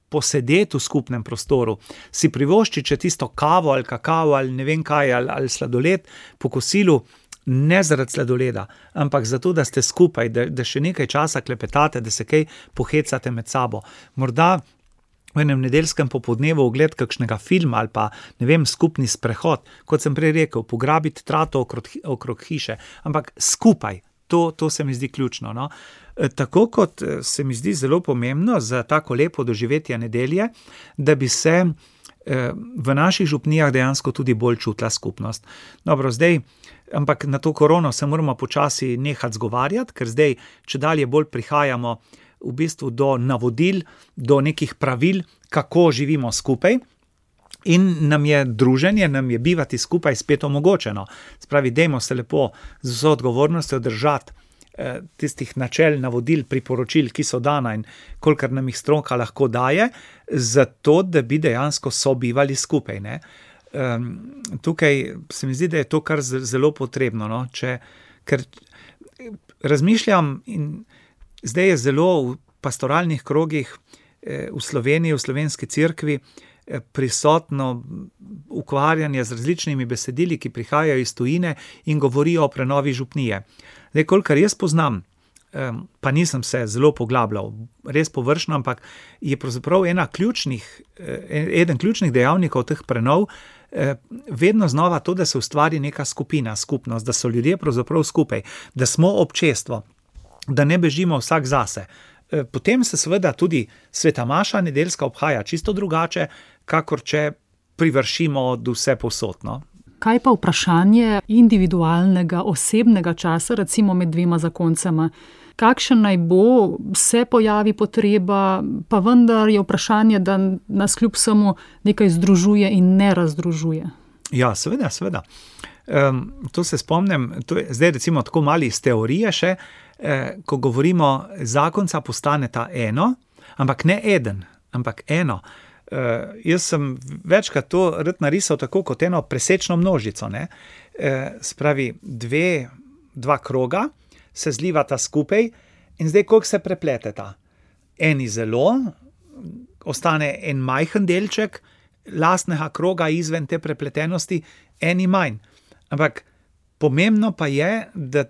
posedeti v skupnem prostoru, si privošči, če tisto kavo ali kakao ali ne vem kaj, ali, ali sladoled po kosilu, ne zaradi sladoleda, ampak zato, da ste skupaj, da, da še nekaj časa klepetate, da se kaj pohecate med sabo. Morda v enem nedeljskem popoldnevu ogled kakšnega filma ali pa, ne vem, skupni sprehod, kot sem prej rekel, pograbiti trato okrog, okrog hiše, ampak skupaj. To, to se mi zdi ključno, no. Tako kot se mi zdi zelo pomembno za tako lepo doživetje nedelje, da bi se v naših župnijah dejansko tudi bolj čutila skupnost. Dobro, zdaj, ampak na to korono se moramo počasi nehati zgovarjati, ker zdaj, če dalje bolj prihajamo v bistvu do navodil, do nekih pravil, kako živimo skupaj. In nam je druženje, nam je bivati skupaj spet omogočeno. Spravi, dajmo se lepo z vso odgovornostjo držati eh, tistih načel, navodil, priporočil, ki so dana in kolikor nam jih stroka lahko daje, zato, da bi dejansko sobivali skupaj, ne. Um, tukaj se mi zdi, da je to kar zelo potrebno, no, če, ker razmišljam in zdaj je zelo v pastoralnih krogih eh, v Sloveniji, v slovenski cerkvi, prisotno ukvarjanje z različnimi besedili, ki prihajajo iz tujine in govorijo o prenovi župnije. Zdaj, kolikor jaz poznam pa nisem se zelo poglabljal, res površno, ampak je pravzaprav ena ključnih, eden ključnih dejavnikov teh prenov vedno znova to, da se ustvari neka skupina, skupnost, da so ljudje pravzaprav skupaj, da smo občestvo, da ne bežimo vsak zase. Potem se seveda tudi sveta maša nedeljska obhaja čisto drugače, kakor če privršimo od vse posodno. Kaj pa vprašanje individualnega, osebnega časa, recimo med dvema zakoncema? Kakšen naj bo, se pojavi potreba, pa vendar je vprašanje, da nas kljub vsemu nekaj združuje in ne razdružuje. Ja, seveda, seveda. Um, to se spomnim, to je zdaj recimo tako mali iz teorije še, eh, ko govorimo, zakonca postaneta eno, ampak ne eden, ampak eno. Uh, jaz sem večkrat to rad narisal tako kot eno presečno množico, ne. Uh, spravi dve, dva kroga se zlivata skupaj in zdaj koliko se prepleteta. Eni zelo, ostane en majhen delček lastnega kroga izven te prepletenosti, eni manj. Ampak pomembno pa je, da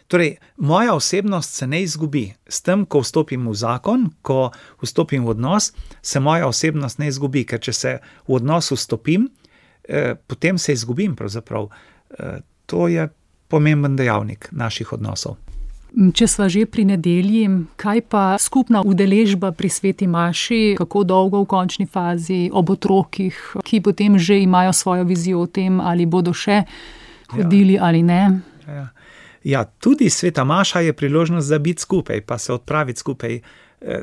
torej, moja osebnost se ne izgubi. S tem, ko vstopim v zakon, ko vstopim v odnos, se moja osebnost ne izgubi, ker če se v odnos vstopim, eh, potem se izgubim pravzaprav. Eh, to je pomemben dejavnik naših odnosov. Če sva že pri nedelji, kaj pa skupna udeležba pri sveti maši, kako dolgo v končni fazi, ob otrokih, ki potem že imajo svojo vizijo o tem, ali bodo še hodili ja. ali ne? Ja. Ja, tudi sveta maša je priložnost za biti skupaj, pa se odpraviti skupaj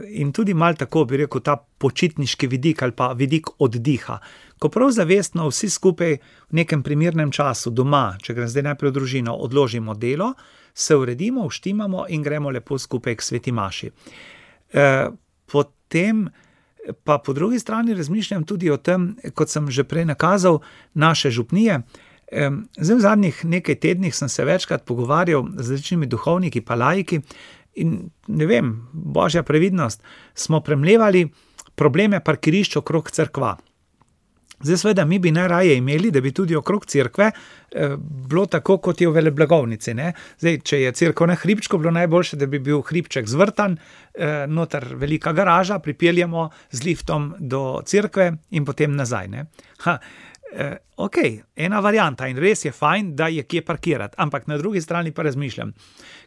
in tudi malo tako bi rekel ta počitniški vidik ali pa vidik oddiha. Ko prav zavestno vsi skupaj v nekem primernem času doma, če grem zdaj najprej v družino, odložimo delo, se uredimo, vštimamo in gremo lepo skupaj k sveti maši. E, potem pa po drugi strani razmišljam tudi o tem, kot sem že prej nakazal, naše župnije. Zdaj v zadnjih nekaj tednih sem se večkrat pogovarjal z različnimi duhovniki pa laiki in ne vem, božja previdnost, smo premlevali probleme parkirišč okrog cerkva. Zdaj seveda mi bi najraje imeli, da bi tudi okrog cerkve eh, bilo tako, kot je v veleblagovnici, ne. Zdaj, če je cerkev na hribčku, bilo najboljše, da bi bil hribček zvrtan, eh, noter velika garaža, pripeljemo z liftom do cerkve in potem nazaj, ne. Ha, eh, ok, ena varianta in res je fajn, da je kje parkirati, ampak na drugi strani pa razmišljam.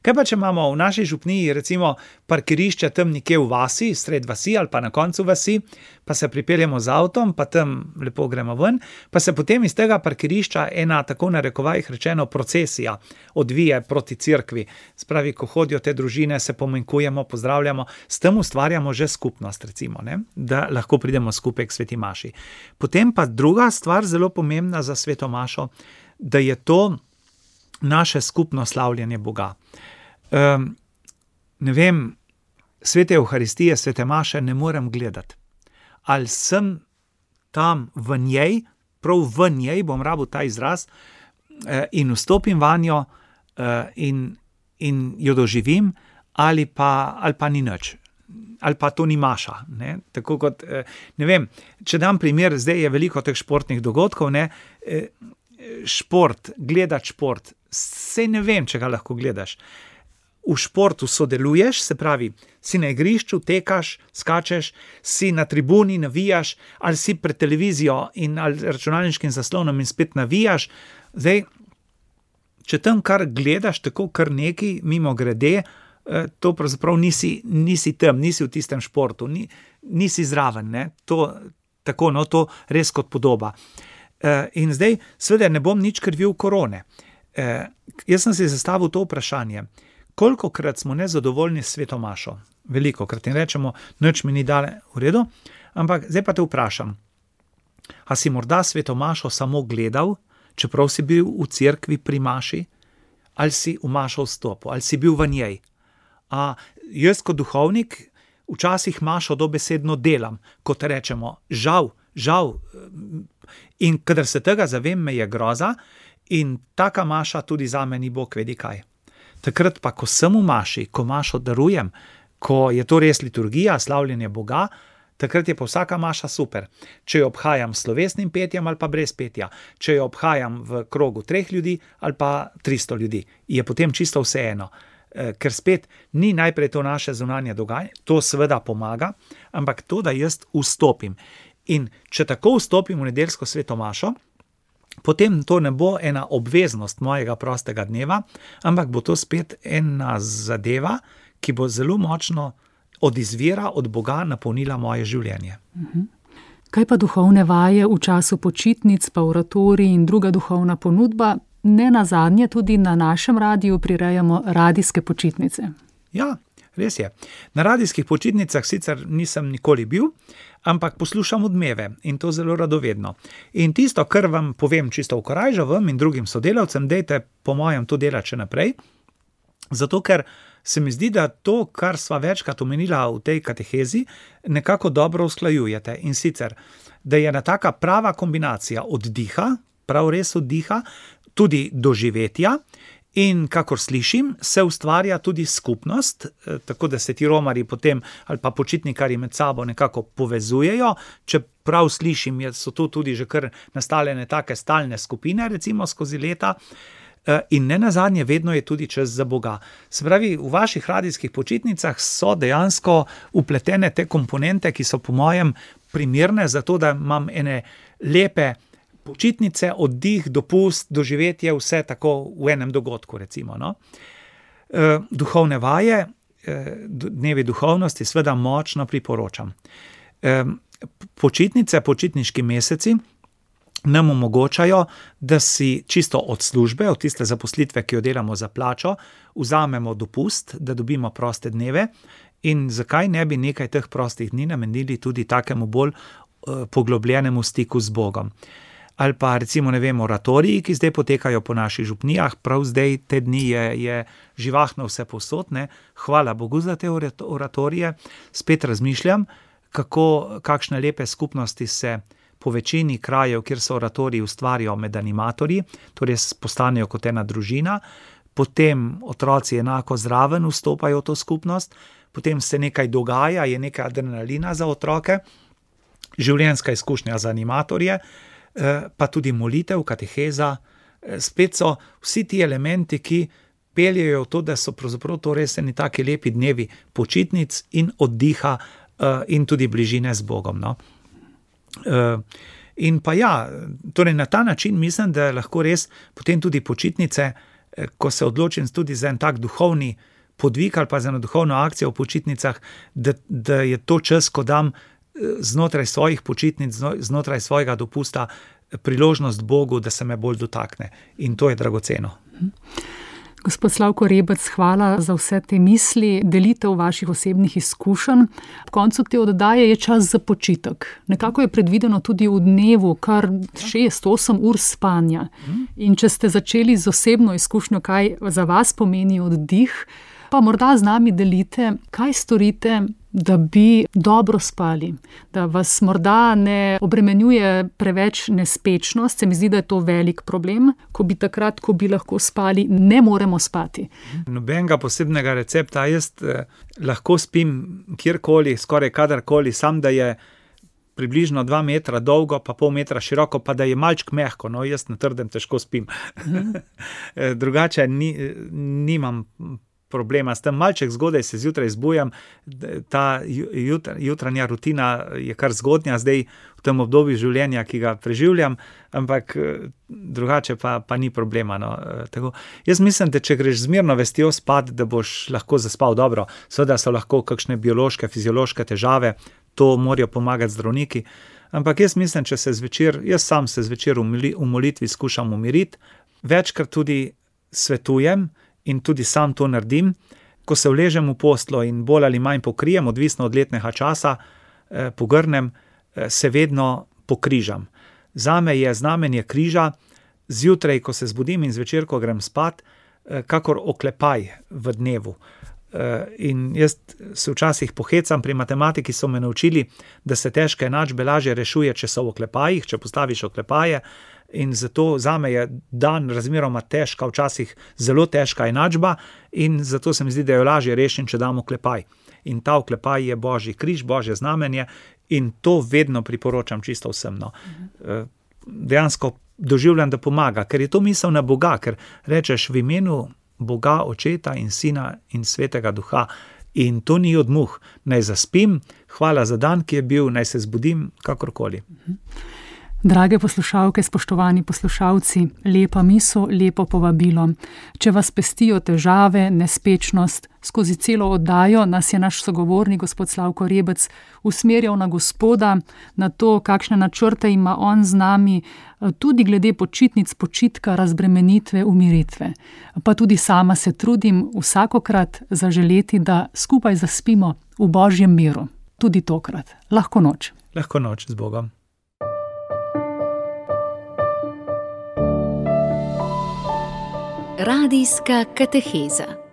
Kaj pa, če imamo v naši župniji recimo parkirišče tam nekje v vasi, sred vasi ali pa na koncu vasi, pa se pripeljemo z avtom, pa tam lepo gremo ven, pa se potem iz tega parkirišča ena, tako na rekovajih rečeno, procesija odvije proti cerkvi. Spravi, ko hodijo te družine, se pomenkujemo, pozdravljamo, s tem ustvarjamo že skupnost, recimo, ne? Da lahko pridemo skupaj k sveti maši. Potem pa druga stvar, zelo pomembna za sveto mašo, da je to naše skupno slavljenje Boga. Um, ne vem, svete Evharistije, svete maše ne morem gledati. Ali sem tam v njej, prav v njej, bom rabil ta izraz, in vstopim vanjo in, in jo doživim, ali pa, ali pa ni nič. Ali pa to ni maša. Ne? Tako kot, ne vem, če dam primer, zdaj je veliko teh športnih dogodkov, ne? Šport, gledati šport, sej ne vem, če ga lahko gledaš. V športu sodeluješ, se pravi, si na igrišču, tekaš, skačeš, si na tribuni, navijaš, ali si pred televizijo in ali računalniškim zaslonom in spet navijaš. Zdaj, če tam kar gledaš, tako kar neki, mimo grede, to pravzaprav nisi, nisi tam, nisi v tistem športu, ni, nisi zraven, ne? To, tako, no, to res kot podoba. In zdaj, seveda ne bom nič krivil korone. Jaz sem si zastavil to vprašanje, kolikokrat smo nezadovoljni s sveto mašo? Velikokrat in rečemo, nič mi ni dale v redu, ampak zdaj pa te vprašam, a si morda sveto mašo samo gledal, čeprav si bil v cerkvi pri maši, ali si v mašo vstopil, ali si bil v njej? A jaz kot duhovnik včasih mašo dobesedno delam, kot rečemo, žal, žal, in kadar se tega zavem, me je groza in taka maša tudi zame ni Bog vedi kaj. Takrat pa, ko sem v maši, ko mašo darujem, ko je to res liturgija, slavljenje Boga, takrat je pa vsaka maša super. Če jo obhajam s slovesnim petjem ali pa brez petja, če jo obhajam v krogu treh ljudi ali pa tristo ljudi, je potem čisto vseeno. ker spet ni najprej to naše zunanje dogajanje, to seveda pomaga, ampak to, da jaz vstopim. In če tako vstopim v nedeljsko sveto mašo, potem to ne bo ena obveznost mojega prostega dneva, ampak bo to spet ena zadeva, ki bo zelo močno od izvira, od Boga napolnila moje življenje. Kaj pa duhovne vaje v času počitnic, pa oratorij in druga duhovna ponudba? Ne nazadnje tudi na našem radiju prirejamo radijske počitnice. Ja, res je. Na radijskih počitnicah sicer nisem nikoli bil, ampak poslušam Odmeve in to zelo radovedno. In tisto, kar vam povem čisto v korajžo, vam in drugim sodelavcem, dejte po mojem to delati še naprej, zato ker se mi zdi, da to, kar sva večkrat omenila v tej katehezi, nekako dobro usklajujete. In sicer, da je ena taka prava kombinacija oddiha, prav res oddiha, tudi doživetja in, kakor slišim, se ustvarja tudi skupnost, tako da se ti romarji potem ali pa počitnikarji med sabo nekako povezujejo, če prav slišim, so tu tudi že kar nastaljene take stalne skupine, recimo skozi leta, in ne nazadnje vedno je tudi čas za Boga. Se pravi, v vaših radijskih počitnicah so dejansko vpletene te komponente, ki so po mojem primerne za to, da imam ene lepe počitnice, oddih, dopust, doživetje, vse tako v enem dogodku, recimo, no. E, duhovne vaje, e, dnevi duhovnosti, seveda močno priporočam. E, počitnice, počitniški meseci nam omogočajo, da si čisto od službe, od tiste zaposlitve, ki jo delamo za plačo, vzamemo dopust, da dobimo proste dneve in zakaj ne bi nekaj teh prostih dni namenili tudi takemu bolj uh, poglobljenemu stiku z Bogom. Ali pa recimo, ne vem, oratoriji, ki zdaj potekajo po naših župnijah, prav zdaj te dni je, je živahno vse povsod, ne. Hvala Bogu za te oratorije. Spet razmišljam, kako, kakšne lepe skupnosti se po večini krajev, kjer so oratoriji, ustvarijo med animatorji, torej postanejo kot ena družina, potem otroci enako zraven vstopajo v to skupnost, potem se nekaj dogaja, je neka adrenalina za otroke, življenjska izkušnja za animatorje, pa tudi molitev, kateheza, spet so vsi ti elementi, ki peljejo v to, da so pravzaprav to res eni taki lepi dnevi počitnic in oddiha in tudi bližine z Bogom, no. Uh, in pa ja, torej na ta način mislim, da lahko res potem tudi počitnice, ko se odločim tudi za en tak duhovni podvig ali pa za eno duhovno akcijo v počitnicah, da, da je to čas, ko dam znotraj svojih počitnic, znotraj svojega dopusta priložnost Bogu, da se me bolj dotakne. In to je dragoceno. Gospod Slavko Rebec, hvala za vse te misli, delitev vaših osebnih izkušenj. Ob koncu te oddaje je čas za počitek. Nekako je predvideno tudi v dnevu kar šest, osem ur spanja. In če ste začeli z osebno izkušnjo, kaj za vas pomeni oddih, pa morda z nami delite, kaj storite, da bi dobro spali, da vas morda ne obremenjuje preveč nespečnost. Se mi zdi, da je to velik problem, ko bi takrat, ko bi lahko spali, ne moremo spati. Nobenega posebnega recepta, jaz eh, lahko spim kjerkoli, skoraj kadarkoli, sam da je približno dva metra dolgo, pa pol metra široko, pa da je malček mehko, no jaz na trdem težko spim. Drugače ni, nimam problema s tem, malček zgodaj se zjutraj zbujam, ta jutr, jutranja rutina je kar zgodnja zdaj v tem obdobju življenja, ki ga preživljam, ampak drugače pa, pa ni problema. No. Tako, jaz mislim, da če greš z mirno vestjo spat, da boš lahko zaspal dobro. Seveda so lahko kakšne biološke, fiziološke težave, to morajo pomagati zdravniki, ampak jaz mislim, če se zvečer, jaz sam se zvečer v molitvi skušam umiriti, večkrat tudi svetujem, in tudi sam to naredim, ko se vležem v posteljo in bolj ali manj pokrijem, odvisno od letnega časa, eh, pogrnem, eh, se vedno pokrižam. Zame je znamenje križa, zjutraj, ko se zbudim in zvečer, ko grem spat, eh, kakor oklepaj v dnevu. Eh, in jaz se včasih pohecam, pri matematiki so me naučili, da se težke enačbe lažje rešuje, če so v oklepajih, če postaviš oklepaje, in zato zame je dan razmeroma težka, včasih zelo težka enačba in zato se mi zdi, da jo lažje rešim, če dam oklepaj. In ta oklepaj je Božji križ, Božje znamenje in to vedno priporočam čisto vsem. No. Dejansko doživljam, da pomaga, ker je to misel na Boga, ker rečeš v imenu Boga, Očeta in Sina in Svetega Duha. In to ni od muh. Naj zaspim, hvala za dan, ki je bil, naj se zbudim, kakorkoli. Drage poslušalke, spoštovani poslušalci, lepa misel, lepo povabilo. Če vas pestijo težave, nespečnost, skozi celo oddajo nas je naš sogovornik, gospod Slavko Rebec, usmerjal na Gospoda, na to, kakšne načrte ima on z nami, tudi glede počitnic, počitka, razbremenitve, umiritve. Pa tudi sama se trudim vsakokrat zaželeti, da skupaj zaspimo v Božjem miru. Tudi tokrat. Lahko noč. Lahko noč z Bogom. Radijska kateheza.